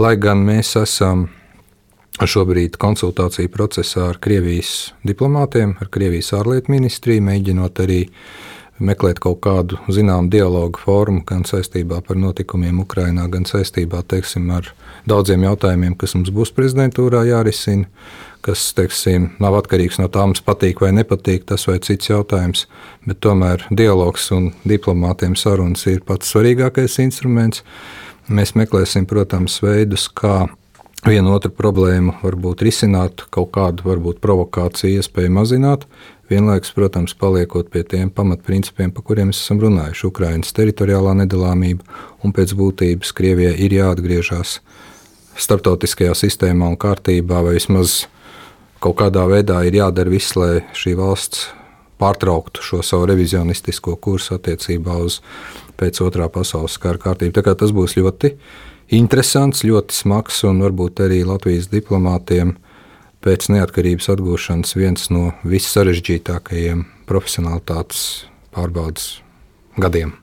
lai gan mēs esam šobrīd konsultāciju procesā ar Krievijas diplomātiem, ar Krievijas ārlietu ministriju, mēģinot arī meklēt kaut kādu zināmu dialogu formu gan saistībā par notikumiem Ukrainā, gan saistībā, teiksim, ar daudziem jautājumiem, kas mums būs prezidentūrā jārisina, kas, teiksim, nav atkarīgs no tā, mums patīk vai nepatīk, tas vai cits jautājums, bet tomēr dialogs un diplomātiem sarunas ir pats svarīgākais instruments. Mēs meklēsim, protams, veidus, kā vienu otru problēmu varbūt risināt, kaut kādu varbūt provokāciju iespēju mazināt, vienlaikus, protams, paliekot pie tiem pamatprincipiem, par kuriem mēs esam runājuši. Ukrainas teritoriālā nedalāmība un pēc būtības Krievijai ir jāatgriežas starptautiskajā sistēmā un kārtībā, vai vismaz kaut kādā veidā ir jādara viss, lai šī valsts pārtrauktu šo savu revizionistisko kursu attiecībā uz pēc otrā pasaules kara kārtību. Tā kā tas būs ļoti interesants, ļoti smags un varbūt arī Latvijas diplomātiem pēc neatkarības atgūšanas viens no vissarežģītākajiem profesionalitātes pārbaudes gadiem.